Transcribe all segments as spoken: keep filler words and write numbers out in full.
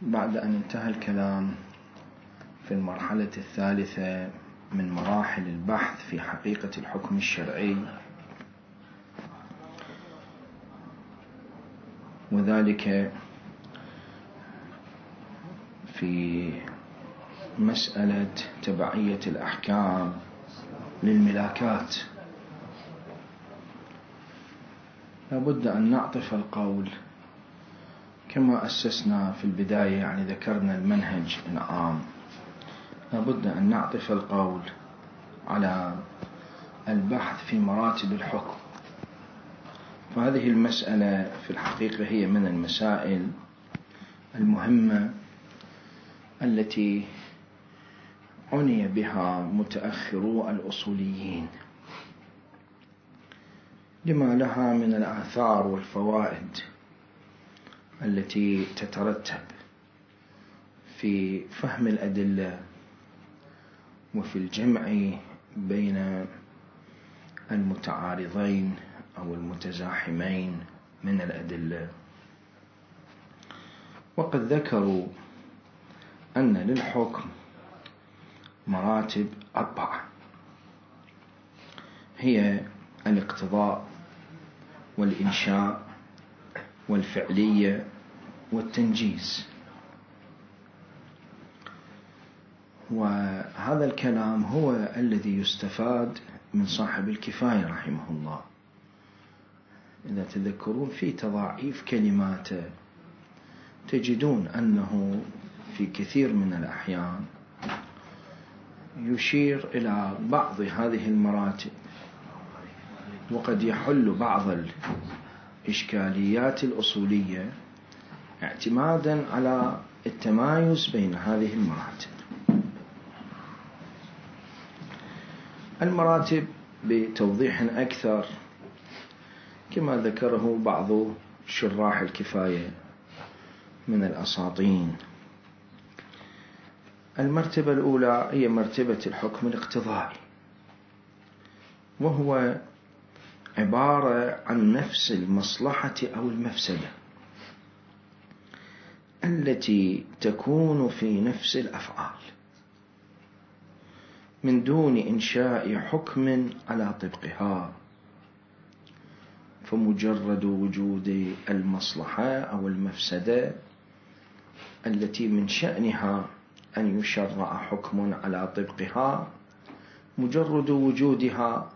بعد أن انتهى الكلام في المرحلة الثالثة من مراحل البحث في حقيقة الحكم الشرعي، وذلك في مسألة تبعية الأحكام للملاكات، لابد أن نعطف القول كما أسسنا في البداية، يعني ذكرنا المنهج العام، لابد أن نعطف القول على البحث في مراتب الحكم. فهذه المسألة في الحقيقة هي من المسائل المهمة التي عني بها متأخرو الأصوليين، لما لها من الآثار والفوائد التي تترتب في فهم الأدلة وفي الجمع بين المتعارضين أو المتزاحمين من الأدلة. وقد ذكروا أن للحكم مراتب أربعة، هي الاقتضاء والإنشاء والفعلية والتنجيز. وهذا الكلام هو الذي يستفاد من صاحب الكفاية رحمه الله. إذا تذكرون في تضاعيف كلماته تجدون أنه في كثير من الأحيان يشير إلى بعض هذه المراتب، وقد يحل بعض الإشكاليات الأصولية اعتمادا على التمايز بين هذه المراتب. المراتب بتوضيح أكثر كما ذكره بعض شراح الكفاية من الأساطين. المرتبة الأولى هي مرتبة الحكم الاقتضائي، وهو عبارة عن نفس المصلحة أو المفسدة التي تكون في نفس الأفعال من دون إنشاء حكم على طبقها، فمجرد وجود المصلحة أو المفسدة التي من شأنها أن يشرع حكم على طبقها، مجرد وجودها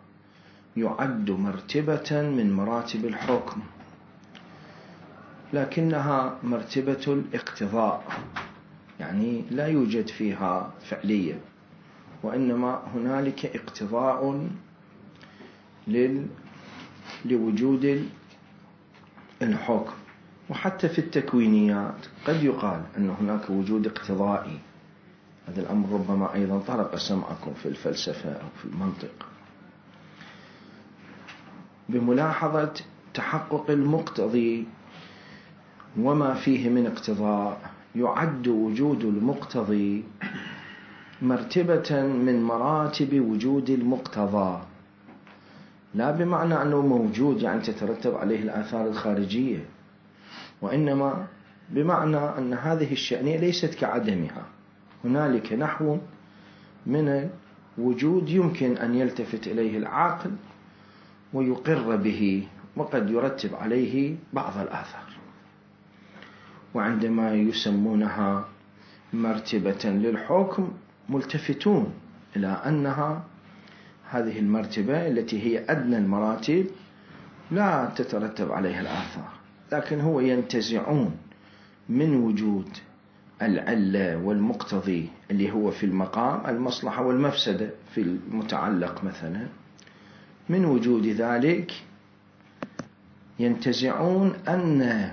يعد مرتبة من مراتب الحكم، لكنها مرتبة الاقتضاء، يعني لا يوجد فيها فعلية، وإنما هنالك اقتضاء لل... لوجود الحكم. وحتى في التكوينيات قد يقال أن هناك وجود اقتضائي. هذا الأمر ربما أيضا طرق سمعكم في الفلسفة أو في المنطق، بملاحظة تحقق المقتضي وما فيه من اقتضاء، يعد وجود المقتضي مرتبة من مراتب وجود المقتضى، لا بمعنى أنه موجود يعني تترتب عليه الآثار الخارجية، وإنما بمعنى أن هذه الشأنية ليست كعدمها، هنالك نحو من الوجود يمكن أن يلتفت إليه العقل ويقر به، وقد يرتب عليه بعض الآثار. وعندما يسمونها مرتبة للحكم ملتفتون إلى أنها هذه المرتبة التي هي أدنى المراتب لا تترتب عليها الآثار، لكن هو ينتزعون من وجود العلة والمقتضي اللي هو في المقام المصلحة والمفسدة في المتعلق مثلا، من وجود ذلك ينتزعون أن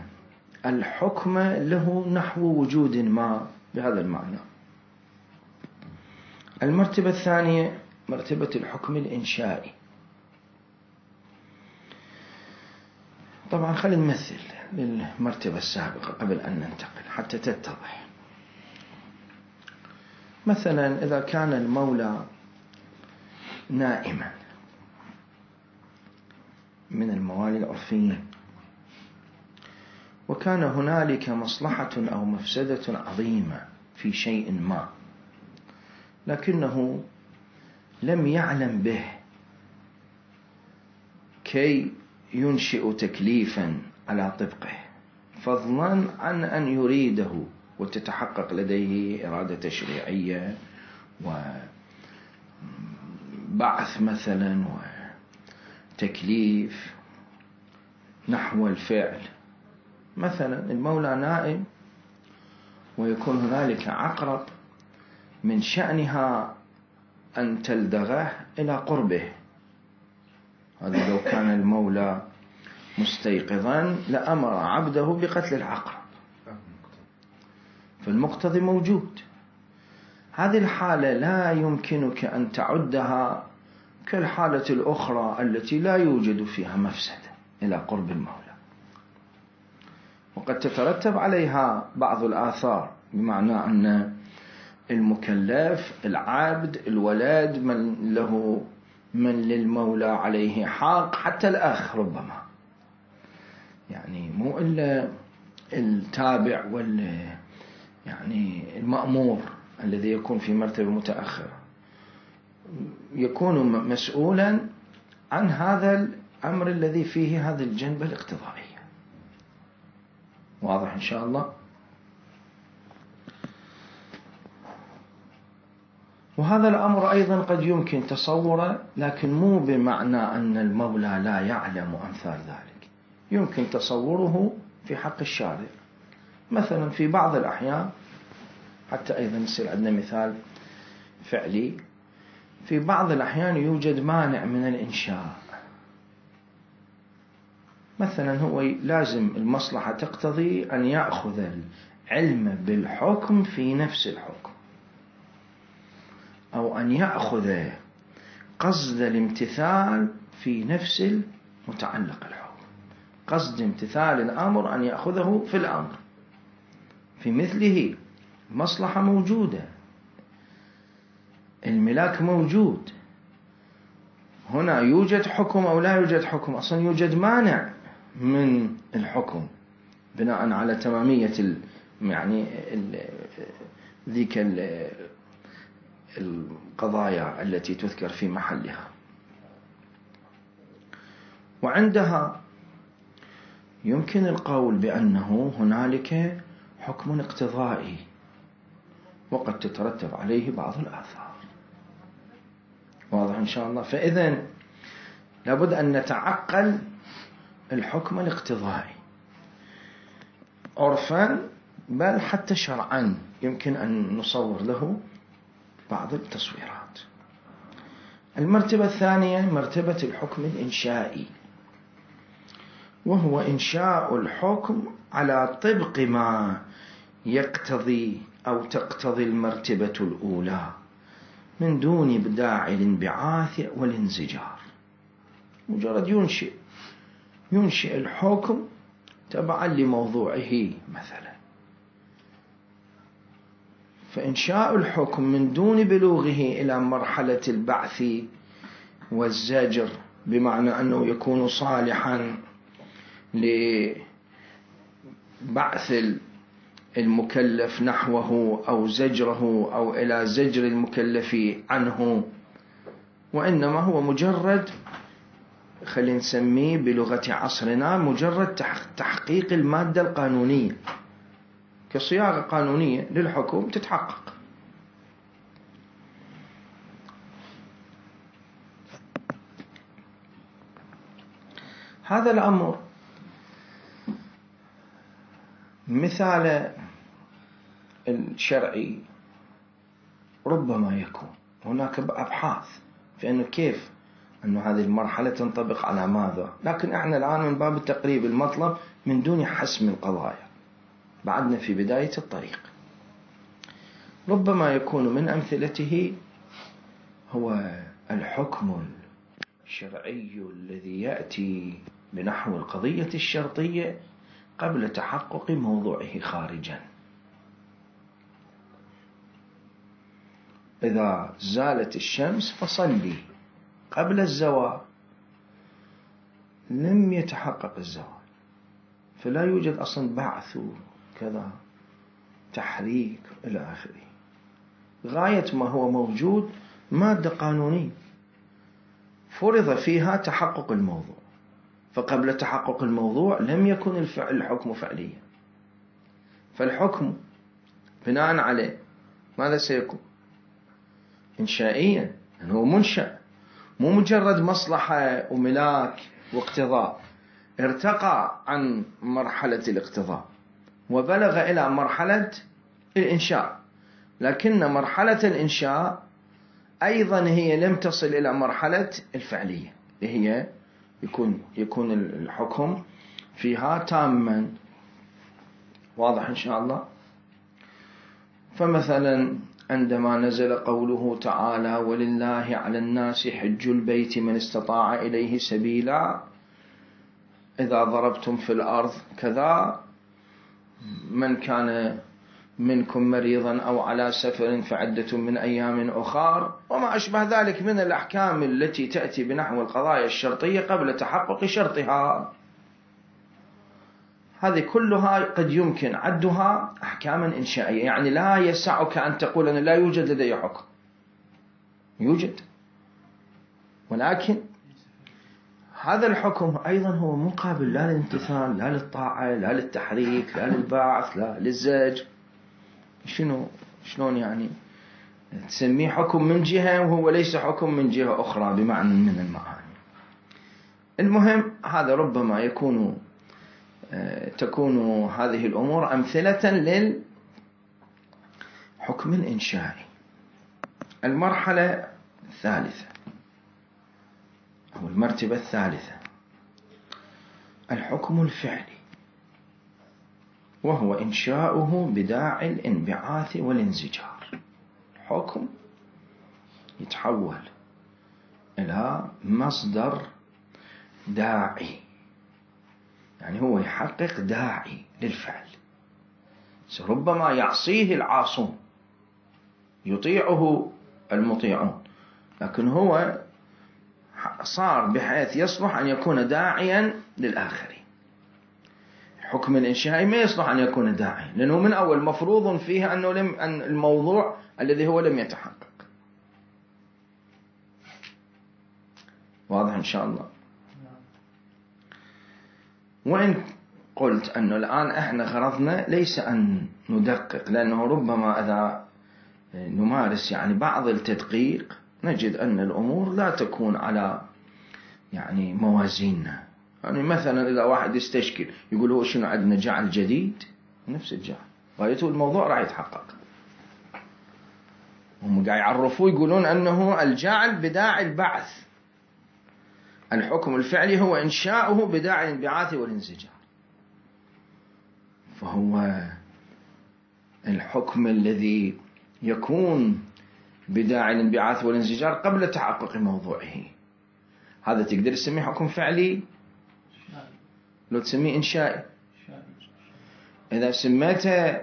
الحكم له نحو وجود ما بهذا المعنى. المرتبة الثانية مرتبة الحكم الإنشائي. طبعا خلينا نمثل للمرتبة السابقة قبل أن ننتقل حتى تتضح. مثلا إذا كان المولى نائما من الموالي العرفيين، وكان هنالك مصلحة أو مفسدة عظيمة في شيء ما، لكنه لم يعلم به كي ينشئ تكليفا على طبقه، فضلا عن أن يريده وتتحقق لديه إرادة تشريعية وبعث مثلا وتكليف نحو الفعل. مثلا المولى نائم ويكون هنالك عقرب من شأنها أن تلدغه إلى قربه، هذا لو كان المولى مستيقظا لأمر عبده بقتل العقرب، فالمقتضي موجود. هذه الحالة لا يمكنك أن تعدها كالحالة الأخرى التي لا يوجد فيها مفسدة إلى قرب المولى، وقد تترتب عليها بعض الآثار، بمعنى أن المكلف العبد الولد من له من للمولى عليه حق، حتى الأخ ربما، يعني مو إلا التابع وال يعني المأمور الذي يكون في مرتبة متأخرة يكون مسؤولا عن هذا الأمر الذي فيه هذه الجنبة الاقتضائية. واضح إن شاء الله؟ وهذا الأمر أيضا قد يمكن تصوره، لكن مو بمعنى أن المولى لا يعلم أمثال ذلك، يمكن تصوره في حق الشارع. مثلا في بعض الأحيان، حتى أيضا يصير عندنا مثال فعلي، في بعض الأحيان يوجد مانع من الإنشاء، مثلا هو لازم المصلحة تقتضي أن يأخذ العلم بالحكم في نفس الحكم، أو أن يأخذ قصد الامتثال في نفس المتعلق الحكم، قصد امتثال الأمر أن يأخذه في الأمر، في مثله مصلحة موجودة، الملاك موجود، هنا يوجد حكم أو لا يوجد حكم، أصلا يوجد مانع من الحكم بناء على تمامية ال يعني ال ذيك ال القضايا التي تذكر في محلها. وعندها يمكن القول بأنه هنالك حكم اقتضائي وقد تترتب عليه بعض الآثار. واضح إن شاء الله؟ فإذن لابد أن نتعقل الحكم الاقتضائي عرفا، بل حتى شرعا يمكن أن نصور له بعض التصويرات. المرتبة الثانية مرتبة الحكم الإنشائي، وهو إنشاء الحكم على طبق ما يقتضي أو تقتضي المرتبة الأولى من دون داعي الانبعاث والانزجار، مجرد ينشئ ينشئ الحكم تبعا لموضوعه مثلا. فإنشاء الحكم من دون بلوغه إلى مرحلة البعث والزجر، بمعنى أنه يكون صالحا لبعث المكلف نحوه أو زجره أو إلى زجر المكلف عنه، وإنما هو مجرد، خلينا نسميه بلغة عصرنا، مجرد تحقيق المادة القانونية، كصياغة قانونية للحكم تتحقق. هذا الأمر مثال الشرعي ربما يكون هناك أبحاث في أنه كيف أن هذه المرحلة تنطبق على ماذا، لكن احنا الآن من باب التقريب المطلب من دون حسم القضايا، بعدنا في بداية الطريق. ربما يكون من أمثلته هو الحكم الشرعي الذي يأتي بنحو القضية الشرطية قبل تحقق موضوعه خارجا. إذا زالت الشمس فصلي، قبل الزوال لم يتحقق الزوال، فلا يوجد أصلا بعث وكذا تحريك إلى آخره. غاية ما هو موجود مادة قانونية فرض فيها تحقق الموضوع، فقبل تحقق الموضوع لم يكن الفعل الحكم فعليا، فالحكم بناء عليه ماذا سيكون؟ إنشائيا، يعني هو منشأ، مو مجرد مصلحة وملاك واقتضاء، ارتقى عن مرحلة الاقتضاء وبلغ إلى مرحلة الإنشاء، لكن مرحلة الإنشاء أيضا هي لم تصل إلى مرحلة الفعلية اللي هي يكون يكون الحكم فيها تاما. واضح إن شاء الله؟ فمثلا عندما نزل قوله تعالى ولله على الناس حج البيت من استطاع إليه سبيلا، إذا ضربتم في الأرض كذا، من كان منكم مريضا أو على سفر فعدة من أيام أخر، وما أشبه ذلك من الأحكام التي تأتي بنحو القضايا الشرطية قبل تحقق شرطها. هذه كلها قد يمكن عدها أحكاما إنشائية، يعني لا يسعك أن تقول أن لا يوجد لدي حكم، يوجد، ولكن هذا الحكم أيضا هو مقابل لا للامتثال، لا للطاعة، لا للتحريك، لا للبعث، لا للزج. شنو شلون يعني تسميه حكم من جهة وهو ليس حكم من جهة أخرى بمعنى من المعاني؟ المهم هذا ربما يكون تكون هذه الأمور أمثلة للحكم الإنشائي. المرحلة الثالثة أو المرتبة الثالثة الحكم الفعلي، وهو إنشاؤه بداعي الانبعاث والانزجار. حكم يتحول إلى مصدر داعي، يعني هو يحقق داعي للفعل، ربما يعصيه العاصون يطيعه المطيعون، لكن هو صار بحيث يصلح أن يكون داعيا للآخرين. الحكم الإنشائي ما يصلح أن يكون داعيا، لأنه من أول مفروض فيه أنه لم أن الموضوع الذي هو لم يتحقق. واضح إن شاء الله؟ وإن قلت أنه الآن إحنا غرضنا ليس أن ندقق، لأنه ربما إذا نمارس يعني بعض التدقيق نجد أن الأمور لا تكون على يعني موازيننا. يعني مثلا إذا واحد يستشكل يقول هو شنو عندنا جعل جديد، نفس الجعل غايته الموضوع راح يتحقق. هم قاعد يعرفوا يقولون أنه الجعل بداعي البعث، الحكم الفعلي هو إنشاؤه بداعي الانبعاث والانزجار، فهو الحكم الذي يكون بداعي الانبعاث والانزجار قبل تحقق موضوعه، هذا تقدر تسميه حكم فعلي لو تسميه إنشائي. إذا سميته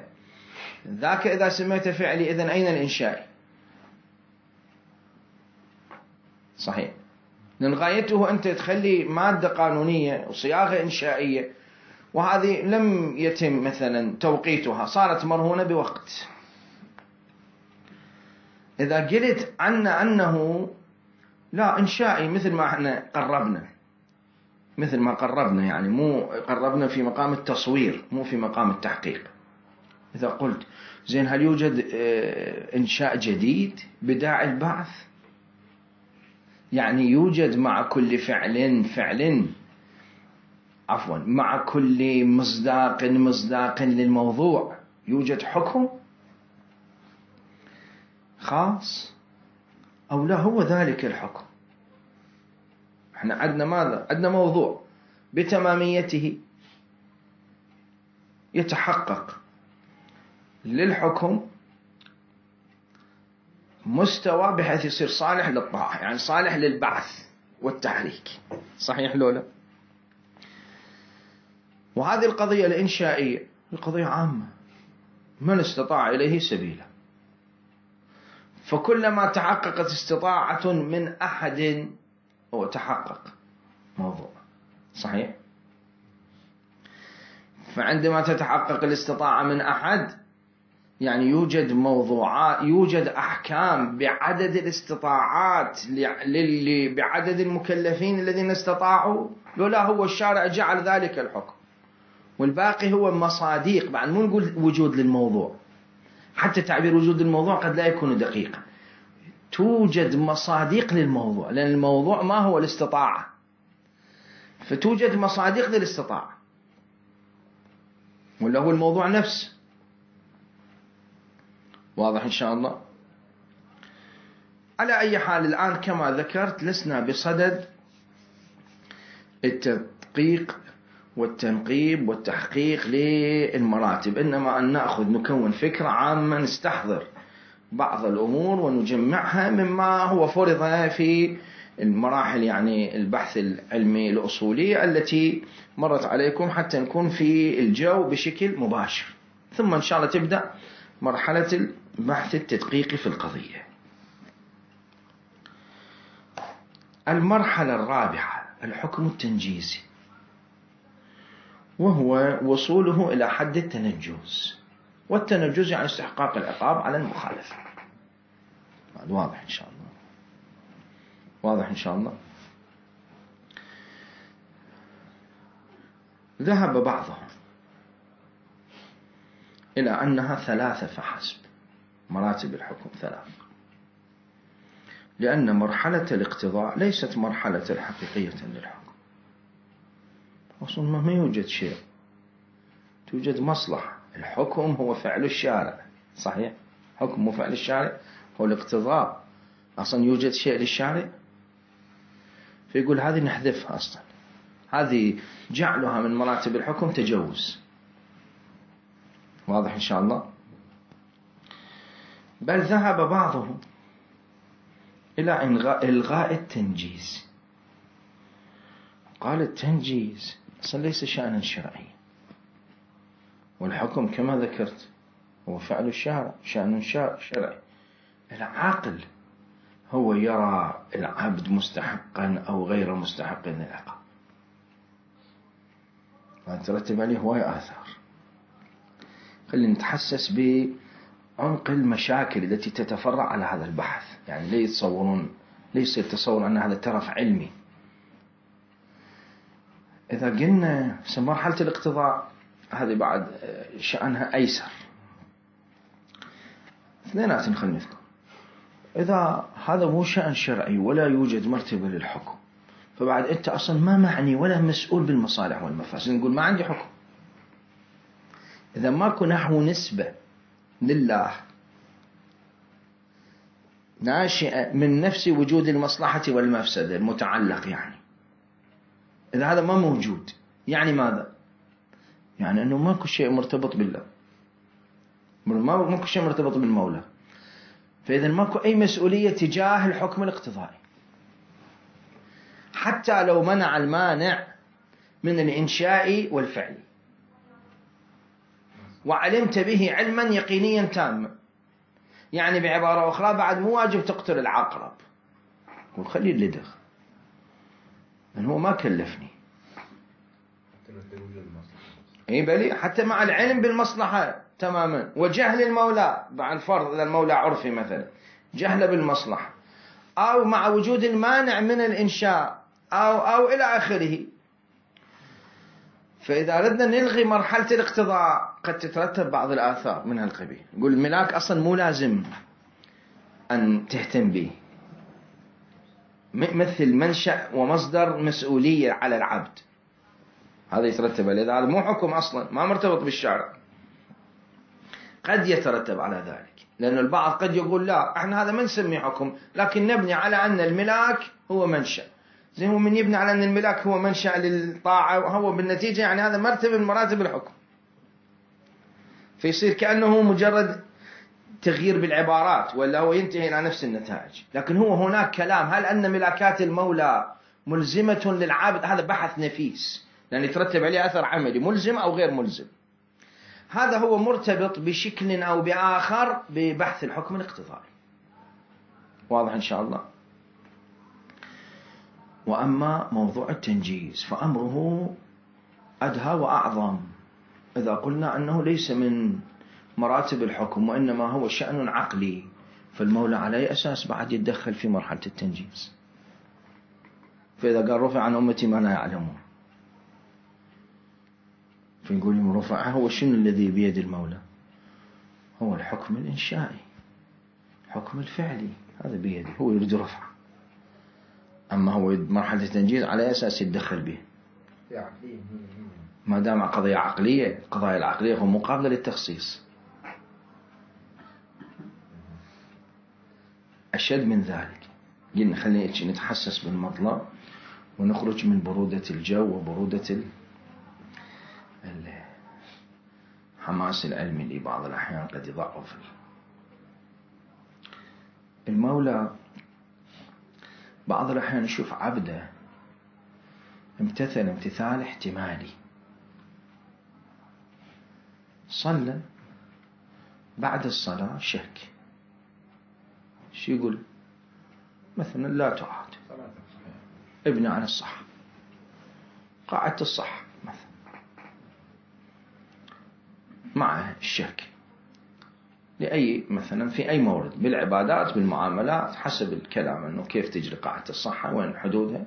ذاك إذا سميته فعلي إذن أين الإنشائي؟ صحيح، لأن غايته أنت تخلي مادة قانونية وصياغة إنشائية، وهذه لم يتم مثلا توقيتها، صارت مرهونة بوقت. إذا قلت عنا أنه لا إنشائي مثل ما احنا قربنا، مثل ما قربنا يعني مو قربنا في مقام التصوير مو في مقام التحقيق. إذا قلت زين هل يوجد إنشاء جديد بداعي البعث؟ يعني يوجد مع كل فعل فعل عفوا مع كل مصداق مصداق للموضوع يوجد حكم خاص، أو لا هو ذلك الحكم؟ احنا عندنا ماذا؟ عندنا موضوع بتماميته يتحقق للحكم مستوى بحيث يصير صالح للطاعة، يعني صالح للبعث والتحريك. صحيح لولا؟ وهذه القضية الإنشائية القضية عامة، من استطاع إليه سبيلا، فكلما تحققت استطاعة من أحد هو تحقق موضوع. صحيح؟ فعندما تتحقق الاستطاعة من أحد يعني يوجد موضوعات، يوجد أحكام بعدد الاستطاعات للي بعدد المكلفين الذين استطاعوا، لولا هو الشارع جعل ذلك الحكم. والباقي هو مصاديق، بعد مو نقول وجود للموضوع، حتى تعبير وجود الموضوع قد لا يكون دقيقا. توجد مصاديق للموضوع، لأن الموضوع ما هو الاستطاعة، فتوجد مصاديق للاستطاعة، ولا هو الموضوع نفسه. واضح إن شاء الله؟ على أي حال الآن كما ذكرت لسنا بصدد التدقيق والتنقيب والتحقيق للمراتب، إنما أن نأخذ نكون فكرة عامة، نستحضر بعض الأمور ونجمعها مما هو فرض في المراحل يعني البحث العلمي الأصولي التي مرت عليكم، حتى نكون في الجو بشكل مباشر. ثم إن شاء الله تبدأ مرحلة البحث التدقيقي في القضية. المرحلة الرابعة الحكم التنجيزي، وهو وصوله إلى حد التنجز. والتنجز يعني استحقاق العقاب على المخالفة. واضح إن شاء الله؟ واضح إن شاء الله؟ ذهب بعضهم إلى أنها ثلاثة فحسب، مراتب الحكم ثلاث، لأن مرحلة الاقتضاء ليست مرحلة حقيقية للحكم. أصلا ما يوجد شيء، توجد مصلحة. الحكم هو فعل الشارع، صحيح؟ حكم وفعل الشارع هو الاقتضاء. أصلا يوجد شيء للشارع، فيقول هذه نحذفها. أصلا هذه جعلها من مراتب الحكم تجوز. واضح إن شاء الله؟ بل ذهب بعضهم إلى إلغاء التنجيز. قال التنجيز أصلا ليس شأنا شرعي، والحكم كما ذكرت هو فعل الشارع، شأن شرعي. العاقل هو يرى العبد مستحقا أو غير مستحق للعقاب، وترتب عليه هواية آثار. خلينا نتحسس بعمق المشاكل التي تتفرع على هذا البحث، يعني لا يتصورون، ليس يتصور أن هذا ترف علمي. إذا قلنا مرحلة الاقتضاء هذه بعد شأنها أيسر، اثنينات خلينا نذكر. إذا هذا مو شأن شرعي ولا يوجد مرتبة للحكم، فبعد أنت أصلا ما معني ولا مسؤول بالمصالح والمفاسد. نقول ما عندي حكم. إذا ماكو نحو نسبة لله ناشئة من نفس وجود المصلحة والمفسدة المتعلق، يعني إذا هذا ما موجود يعني ماذا؟ يعني أنه ماكو شيء مرتبط بالله، ماكو شيء مرتبط بالمولى، فإذا ماكو أي مسؤولية تجاه الحكم الاقتضائي، حتى لو منع المانع من الإنشاء والفعل وعلمت به علما يقينيا تاما. يعني بعبارة أخرى بعد مو واجب تقتل العقرب، وخلي اللدغ، لأنه هو ما كلفني. اي بلي حتى مع العلم بالمصلحة تماما، وجهل المولى بعد فرض، إذا المولى عرفي مثلا جهل بالمصلحة، أو مع وجود المانع من الإنشاء، أو أو إلى آخره. فإذا أردنا نلغي مرحلة الاقتضاء قد تترتب بعض الآثار من هالقبيل. نقول الملاك أصلا مو لازم أن تهتم به، مثل منشأ ومصدر مسؤولية على العبد، هذا يترتب عليه. هذا مو حكم أصلا، ما مرتبط بالشارع. قد يترتب على ذلك، لأن البعض قد يقول لا احنا هذا ما نسميه حكم، لكن نبني على أن الملاك هو منشأ. زي هو من يبني على أن الملاك هو منشأ للطاعة، وهو بالنتيجة يعني هذا مرتبة من مراتب الحكم، فيصير كأنه مجرد تغيير بالعبارات، ولا هو ينتهي إلى نفس النتائج. لكن هو هناك كلام، هل أن ملاكات المولى ملزمة للعابد؟ هذا بحث نفيس، لأن يترتب عليه أثر عملي، ملزم أو غير ملزم. هذا هو مرتبط بشكل أو بآخر ببحث الحكم الاقتضائي. واضح إن شاء الله؟ وأما موضوع التنجيز فأمره أدهى وأعظم. إذا قلنا أنه ليس من مراتب الحكم وإنما هو شأن عقلي، فالمولى على أي أساس بعد يتدخل في مرحلة التنجيز؟ فإذا قال رفع عن أمتي ما لا يعلمون، فنقول رفع هو شنو الذي بيد المولى؟ هو الحكم الإنشائي، حكم الفعلي، هذا بيده، هو يريد رفع. أما هو مرحلة التنجيز على أساس يتدخل به ما دام قضية عقلية. القضايا العقلية هو مقابلة للتخصيص. أشد من ذلك، قلنا خلينا نتحسس بالمطلب ونخرج من برودة الجو وبرودة الحماس العلمي اللي بعض الأحيان قد يضعف. المولى بعض الأحيان يشوف عبده امتثل امتثال احتمالي، صلى بعد الصلاة شك، شو يقول؟ مثلا لا تعاد، ابني عن الصح، قاعدة الصح مثلا مع الشك لأي مثلا في أي مورد بالعبادات بالمعاملات حسب الكلام أنه كيف تجري قاعدة الصحة وين حدودها،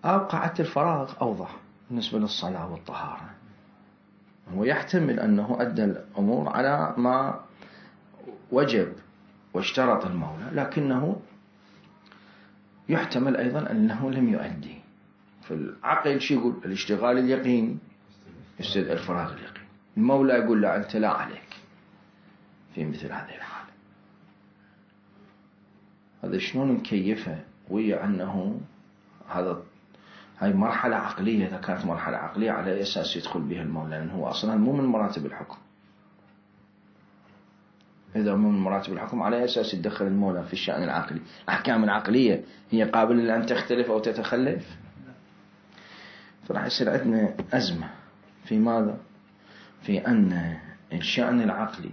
أو قاعدة الفراغ أوضح بالنسبة للصلاة والطهارة. هو يحتمل أنه أدى الأمور على ما وجب واشترط المولى، لكنه يحتمل أيضا أنه لم يؤدي. فالعقل شو يقول؟ الاشتغال اليقيني يستدعي الفراغ اليقيني. المولى يقول لا، أنت لا عليك في مثل هذه الحالة. هذا شلون مكيفة ويا أنه هذا هاي مرحلة عقلية. إذا كانت مرحلة عقلية على أي أساس يدخل بها المولى؟ لأنه هو أصلا مو من مراتب الحكم. إذا مو من مراتب الحكم على أي أساس يتدخل المولى في الشأن العقلي؟ الأحكام العقلية هي قابلة لأن تختلف أو تتخلف. فراح يصير عندنا أزمة في ماذا؟ في أن الشأن العقلي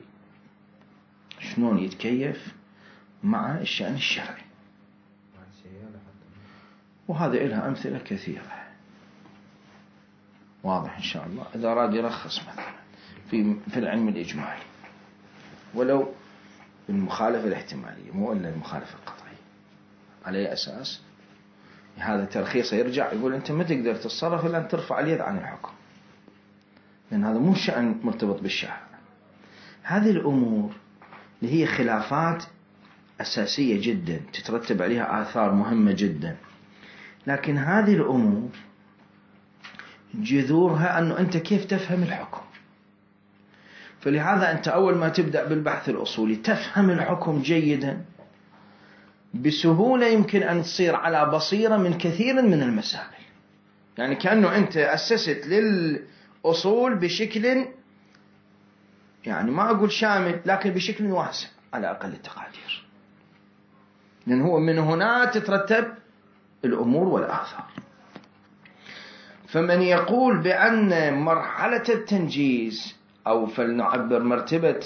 شلون يتكيف مع الشأن الشرعي. وهذا إلها أمثلة كثيرة. واضح إن شاء الله. إذا أراد يرخص مثلا في في العلم الإجمالي ولو المخالفة الاحتمالية مو إلا المخالفة القطعية، على أي أساس؟ هذا ترخيصه يرجع يقول أنت ما تقدر تتصرف إلا أن ترفع اليد عن الحكم، لأن هذا مو شأن مرتبط بالشرع. هذه الأمور اللي هي خلافات أساسية جدا تترتب عليها آثار مهمة جدا، لكن هذه الأمور جذورها أنه أنت كيف تفهم الحكم. فلهذا أنت أول ما تبدأ بالبحث الأصولي تفهم الحكم جيدا، بسهولة يمكن أن تصير على بصيرة من كثير من المسائل. يعني كأنه أنت أسست للأصول بشكل يعني ما أقول شامل لكن بشكل واسع على أقل التقادير، لأن هو من هنا تترتب الأمور والآثار. فمن يقول بأن مرحلة التنجيز أو فلنعبر مرتبة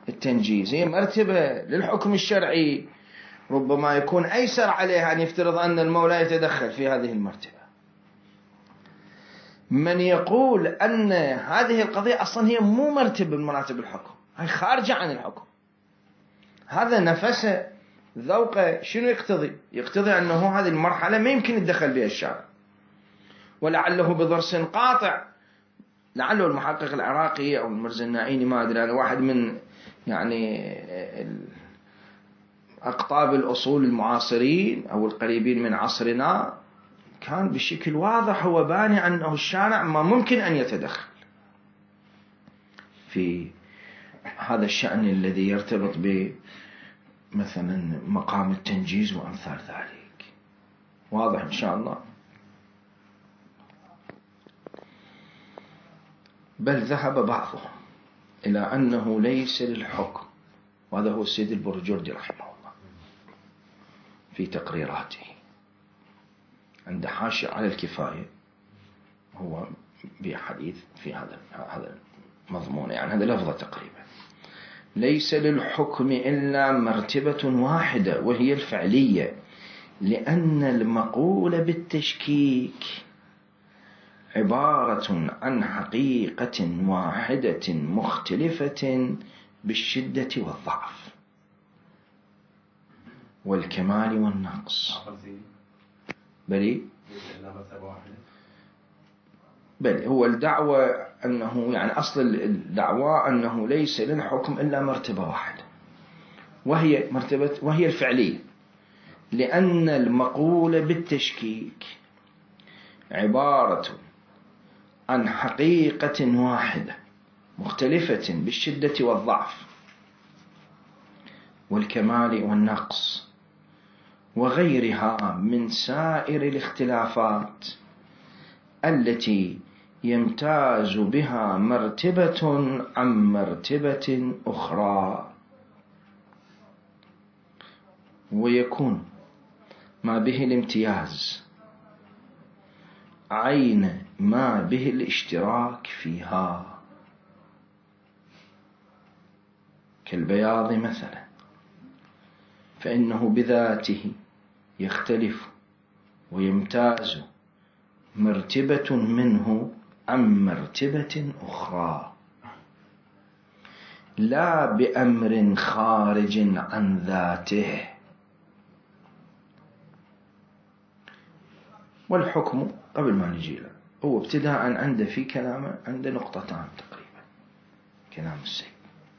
التنجيز هي مرتبة للحكم الشرعي، ربما يكون أيسر عليه أن يفترض أن المولى يتدخل في هذه المرتبة. من يقول أن هذه القضية أصلا هي مو مرتبة من مراتب الحكم، هي خارجة عن الحكم، هذا نفسه ذوقه شنو يقتضي؟ يقتضي أنه هذه المرحلة ما يمكن يتدخل بها الشارع، ولعله بضرس قاطع. لعله المحقق العراقي أو المرزنائيني ما أدري أنا، واحد من يعني أقطاب الأصول المعاصرين أو القريبين من عصرنا، كان بشكل واضح هو باني أنه الشارع ما ممكن أن يتدخل في هذا الشأن الذي يرتبط بمثلا مقام التنجيز وأمثال ذلك. واضح إن شاء الله. بل ذهب بعضهم إلى أنه ليس للحكم، وهذا هو السيد البرجردي رحمه الله في تقريراته عند حاشية على الكفاية، هو بحديث في هذا هذا مضمون، يعني هذا لفظة تقريبا: ليس للحكم إلا مرتبة واحدة وهي الفعلية، لأن المقول بالتشكيك عبارة عن حقيقة واحدة مختلفة بالشدة والضعف والكمال والنقص. بلي بل هو الدعوة أنه يعني أصل الدعوة أنه ليس للحكم إلا مرتبة واحدة، وهي مرتبة وهي الفعلية، لأن المقولة بالتشكيك عبارة عن حقيقة واحدة مختلفة بالشدة والضعف والكمال والنقص وغيرها من سائر الاختلافات التي يمتاز بها مرتبة عن مرتبة أخرى، ويكون ما به الامتياز عين ما به الاشتراك فيها، كالبياض مثلا، فإنه بذاته يختلف ويمتاز مرتبة منه عن مرتبة أخرى، لا بأمر خارج عن ذاته. والحكم قبل ما نجي له هو ابتداء عنده في كلامه عنده نقطتان تقريبا كلام السيد.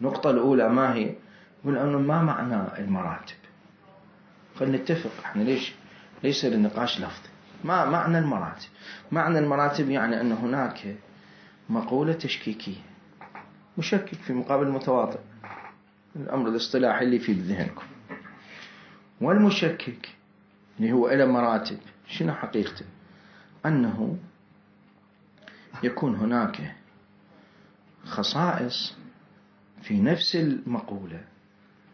النقطة الأولى ما هي؟ يقول أنه ما معنى المراتب؟ فلنتفق احنا ليش ليس للنقاش لفظي. ما معنى المراتب؟ معنى المراتب يعني أن هناك مقولة تشكيكية، مشكك في مقابل متواطئ، الأمر الاصطلاحي اللي في ذهنكم. والمشكك اللي هو إلى مراتب، شنو حقيقته؟ أنه يكون هناك خصائص في نفس المقولة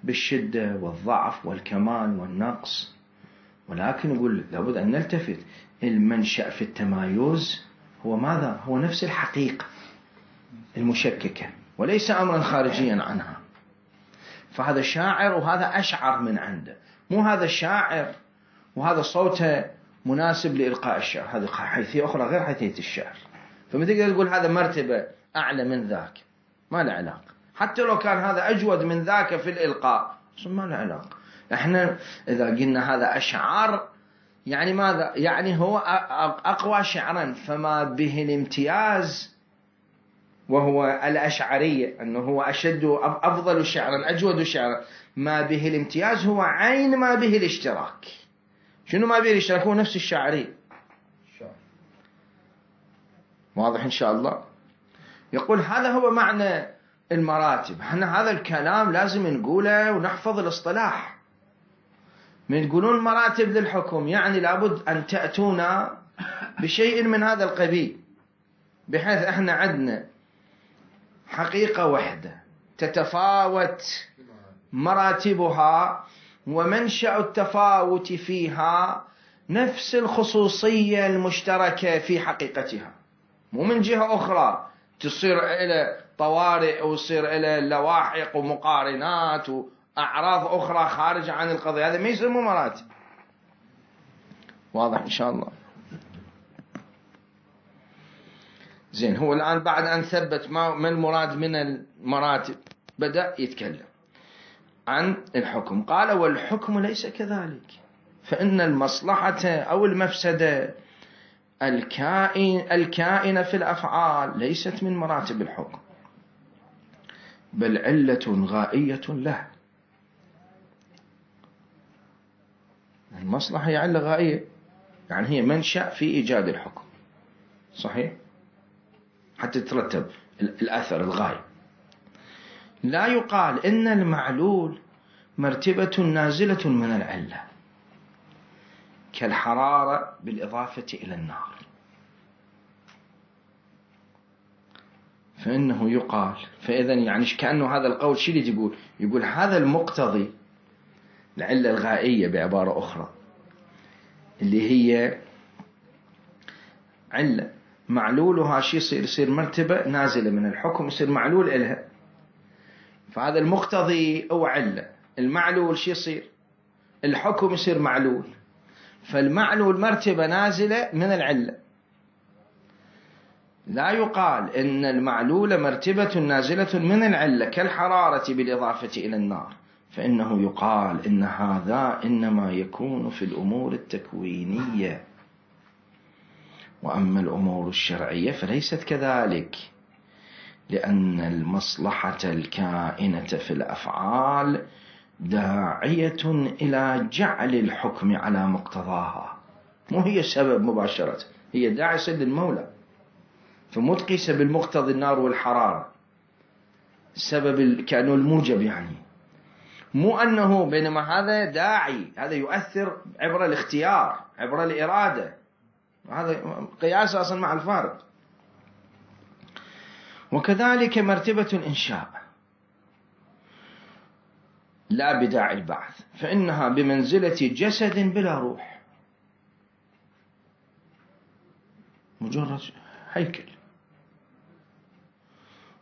بالشدة والضعف والكمال والنقص، ولكن يقول لابد أن نلتفت المنشأ في التمايز هو ماذا؟ هو نفس الحقيقة المشككة وليس أمرا خارجيا عنها. فهذا شاعر وهذا أشعر من عنده، مو هذا الشاعر وهذا صوته مناسب لإلقاء الشعر، هذه حيثية أخرى غير حيثية الشعر. فما تقدر تقول هذا مرتبة أعلى من ذاك، ما له علاقة. حتى لو كان هذا أجود من ذاك في الإلقاء ما له علاقة. احنا إذا قلنا هذا أشعر يعني ماذا؟ يعني هو أقوى شعرا، فما به الامتياز وهو الأشعرية أنه هو أشد أفضل شعرا أجود شعرا، ما به الامتياز هو عين ما به الاشتراك. شنو ما به الاشتراك؟ هو نفس الشاعري. واضح إن شاء الله. يقول هذا هو معنى المراتب. احنا هذا الكلام لازم نقوله ونحفظ الاصطلاح. من تقولون مراتب للحكم يعني لابد أن تأتونا بشيء من هذا القبيل، بحيث احنا عندنا حقيقة واحدة تتفاوت مراتبها، ومنشأ التفاوت فيها نفس الخصوصية المشتركة في حقيقتها، مو من جهة أخرى تصير إلى طوارئ وتصير إلى لواحق ومقارنات وأعراض أخرى خارجة عن القضية. هذا ما يسمى مراتب. واضح إن شاء الله. زين، هو الآن بعد أن ثبت ما المراد من المراتب بدأ يتكلم عن الحكم. قال والحكم ليس كذلك، فإن المصلحة أو المفسدة الكائن الكائنة في الأفعال ليست من مراتب الحكم، بل علة غائية له. المصلحة هي علة غائية، يعني هي منشأ في إيجاد الحكم، صحيح؟ حتى تترتب الأثر الغاية. لا يقال إن المعلول مرتبة نازلة من العلة كالحرارة بالإضافة إلى النار، فإنه يقال فإذا يعني كأنه هذا القول شو اللي يقول؟ يقول هذا المقتضي العلة الغائية بعبارة أخرى اللي هي علة معلولها شيء يصير يصير مرتبة نازلة من الحكم، يصير معلول إلها. فهذا المقتضي أو علة، المعلول شيء يصير الحكم يصير معلول، فالمعلول مرتبة نازلة من العلة. لا يقال إن المعلول مرتبة نازلة من العلة كالحرارة بالإضافة إلى النار، فإنه يقال إن هذا إنما يكون في الأمور التكوينية، وأما الأمور الشرعية فليست كذلك، لأن المصلحة الكائنة في الأفعال داعية إلى جعل الحكم على مقتضاها، مو هي السبب مباشرة، هي داعسة للمولى، فمو تقيسة بالمقتضى النار والحرارة السبب كأنه الموجب، يعني مو أنه، بينما هذا داعي، هذا يؤثر عبر الاختيار عبر الإرادة، هذا قياس أصلا مع الفارق. وكذلك مرتبة الإنشاء لا بداعي البعث، فإنها بمنزلة جسد بلا روح، مجرد هيكل.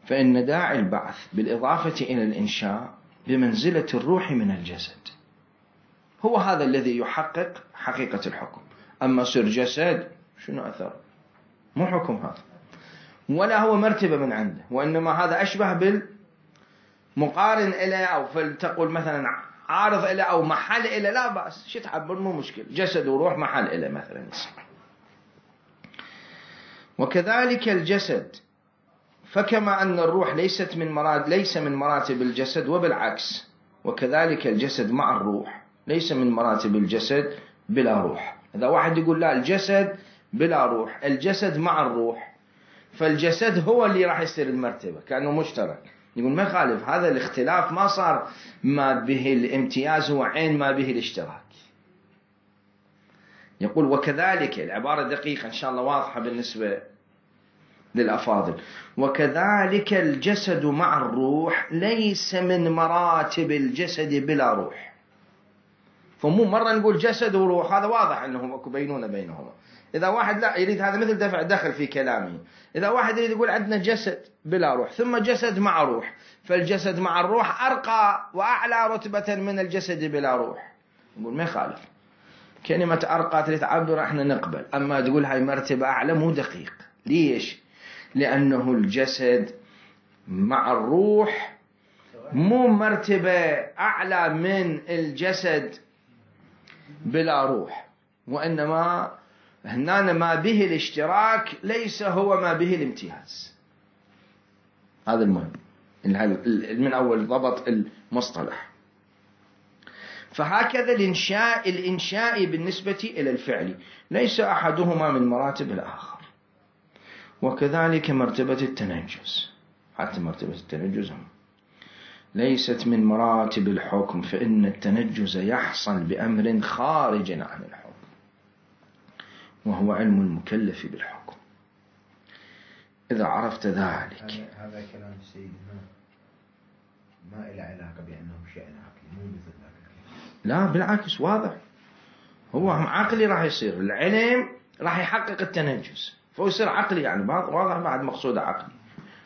فإن داعي البعث بالإضافة إلى الإنشاء بمنزلة الروح من الجسد، هو هذا الذي يحقق حقيقة الحكم. أما صير جسد شنو أثر؟ مو حكم هذا، ولا هو مرتبة من عنده، وإنما هذا أشبه بالمقارن إليه، أو فلتقول مثلا عارض إليه أو محل إليه، لا بأس، شو تعبر، مو مشكل، جسد وروح محل إليه مثلا. وكذلك الجسد، فكما أن الروح ليست من مراد ليس من مراتب الجسد، وبالعكس، وكذلك الجسد مع الروح ليس من مراتب الجسد بلا روح. إذا واحد يقول لا الجسد بلا روح، الجسد مع الروح، فالجسد هو اللي راح يصير المرتبة كأنه مشترك، يقول ما يخالف، هذا الاختلاف ما صار ما به الامتياز هو عين ما به الاشتراك. يقول وكذلك، العبارة دقيقة إن شاء الله واضحة بالنسبة للأفاضل، وكذلك الجسد مع الروح ليس من مراتب الجسد بلا روح. فمو مرة نقول جسد وروح، هذا واضح أنهم أكو بينونة بينهما. إذا واحد لا يريد، هذا مثل دفع دخل في كلامه، إذا واحد يريد يقول عندنا جسد بلا روح ثم جسد مع روح، فالجسد مع الروح أرقى وأعلى رتبة من الجسد بلا روح، نقول ما يخالف، كلمة أرقى تريد تعبر احنا نقبل، أما تقول هاي مرتبة أعلى مو دقيق. ليش؟ لأنه الجسد مع الروح مو مرتبة أعلى من الجسد بلا روح، وإنما هنا ما به الاشتراك ليس هو ما به الامتياز. هذا المهم من أول ضبط المصطلح. فهكذا الإنشاء الإنشاء بالنسبة إلى الفعل ليس أحدهما من مراتب الآخر. وكذلك مرتبة التنجز، حتى مرتبة التنجز ليست من مراتب الحكم، فإن التنجز يحصل بأمر خارج عن الحكم، وهو علم المكلف بالحكم. إذا عرفت ذلك، هذا كلام سيدنا ما إلى علاقة بأنه شيء عقلي، مو مثل ذلك. لا بالعكس، واضح، هو عقلي راح يصير، العلم راح يحقق التنجز، فهو يصير عقلي، يعني واضح بعد مقصود عقلي،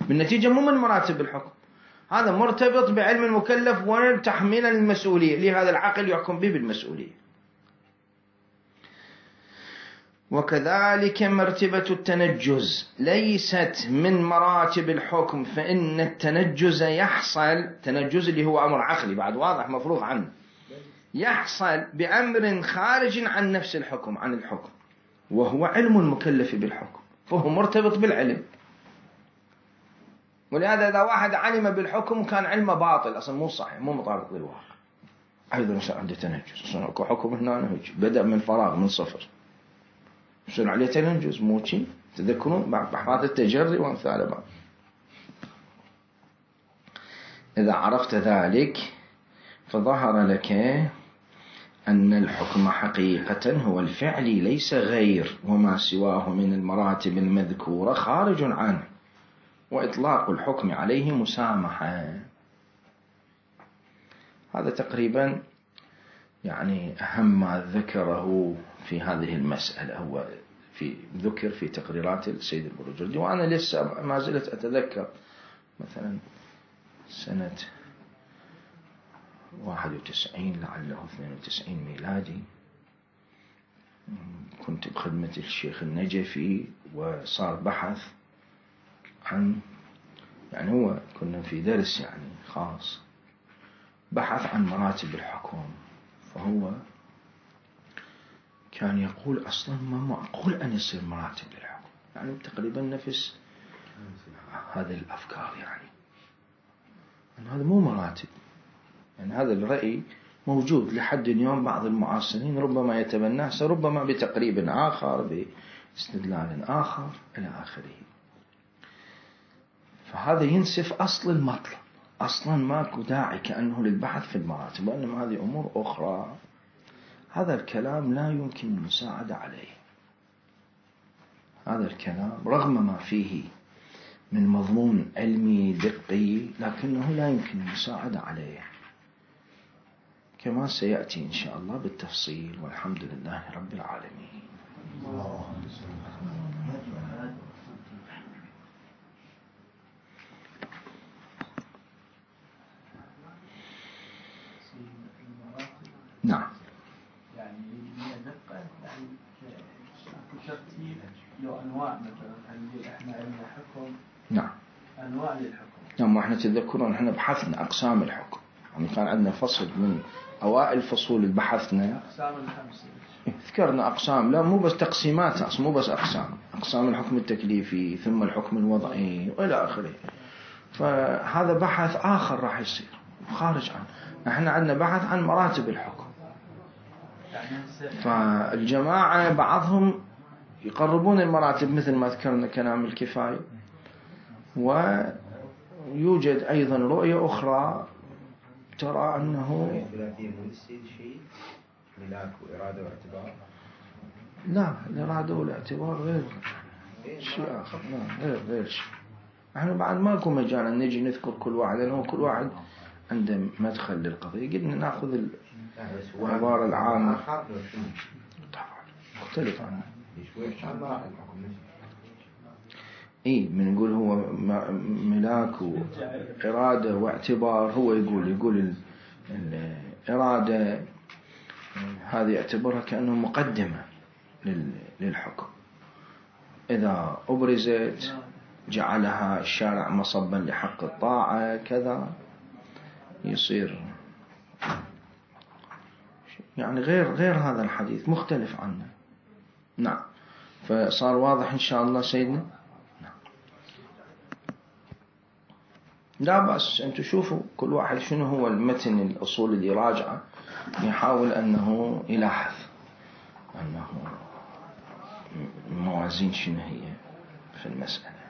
بالنتيجة مو من مراتب الحكم، هذا مرتبط بعلم المكلف وتحميل المسؤولية، لهذا العقل يحكم به بالمسؤولية. وكذلك مرتبة التنجز ليست من مراتب الحكم، فإن التنجز يحصل، تنجز اللي هو أمر عقلي بعد واضح مفروغ عنه، يحصل بأمر خارج عن نفس الحكم، عن الحكم، وهو علم المكلف بالحكم، فهو مرتبط بالعلم. ولهذا إذا واحد علم بالحكم كان علمه باطل أصلا، مو صحيح، مو مطابق للواقع. أيضا مثلا عنده تنجز، أصلا أكو حكم هنا بدأ من فراغ من صفر، يصير عليه تنجز، مو شيء. تذكرون بحث التجري وأمثال بعض. إذا عرفت ذلك فظهر لك أن الحكم حقيقة هو الفعل ليس غير، وما سواه من المراتب المذكورة خارج عنه، وإطلاق الحكم عليه مسامحة. هذا تقريبا يعني أهم ما ذكره في هذه المسألة، هو في ذكر في تقريرات السيد البروجردي، وأنا لسه ما زلت أتذكر مثلا سنة واحد وتسعين لعله اثنين وتسعين ميلادي، كنت بخدمة الشيخ النجفي، وصار بحث عن يعني هو كنا في درس يعني خاص بحث عن مراتب الحكم، فهو كان يقول أصلا ما معقول أن يصير مراتب للحكم، يعني تقريبا نفس هذه الأفكار، يعني أن هذا مو مراتب. يعني هذا الرأي موجود لحد اليوم، بعض المعاصرين ربما يتبناه، ربما بتقريب آخر باستدلال آخر إلى آخره. فهذا ينسف أصل المطلب، أصلا ماكو داعي كأنه للبحث في المراتب، وإنما هذه أمور أخرى. هذا الكلام لا يمكن المساعدة عليه. هذا الكلام رغم ما فيه من مضمون علمي دقي، لكنه لا يمكن المساعدة عليه، كما سيأتي إن شاء الله بالتفصيل، والحمد لله رب العالمين. نعم. يعني دقة يعني ترتيب له أنواع، مثلا هنقول إحنا عندنا حكم. نعم. أنواع للحكم. نعم. وإحنا تذكرون إحنا بحثنا أقسام الحكم، يعني كان عندنا فصل من أوائل فصول بحثنا أقسام الخمسة. ذكرنا أقسام، لا مو بس تقسيمات، مو بس أقسام، أقسام الحكم التكليفي ثم الحكم الوضعي وإلى آخره. فهذا بحث آخر راح يصير خارج عنه. احنا عندنا بحث عن مراتب الحكم. فالجماعة بعضهم يقربون المراتب مثل ما ذكرنا كلام الكفاية، ويوجد أيضا رؤية أخرى ترى أنه ملاك وإرادة واعتبار. لا، الإرادة والاعتبار غير شيء آخر. لا، غير غير شيء. احنا بعد ماكو مجال أن نجي نذكر كل واحد، لأنه كل واحد عنده مدخل للقضية. قلنا نأخذ العبارة العامة مختلف عنه. إيه بنقول هو ملاك وإرادة واعتبار. هو يقول يقول الإرادة هذه يعتبرها كأنه مقدمة للحكم، إذا أبرزت جعلها الشارع مصبا لحق الطاعة كذا، يصير يعني غير غير هذا الحديث مختلف عنه. نعم. فصار واضح إن شاء الله سيدنا. نعم. لا بأس، أنتم شوفوا كل واحد شنو هو المتن الأصول اللي راجعه، يحاول أنه يلاحظ أنه الموازين شنو هي في المسألة.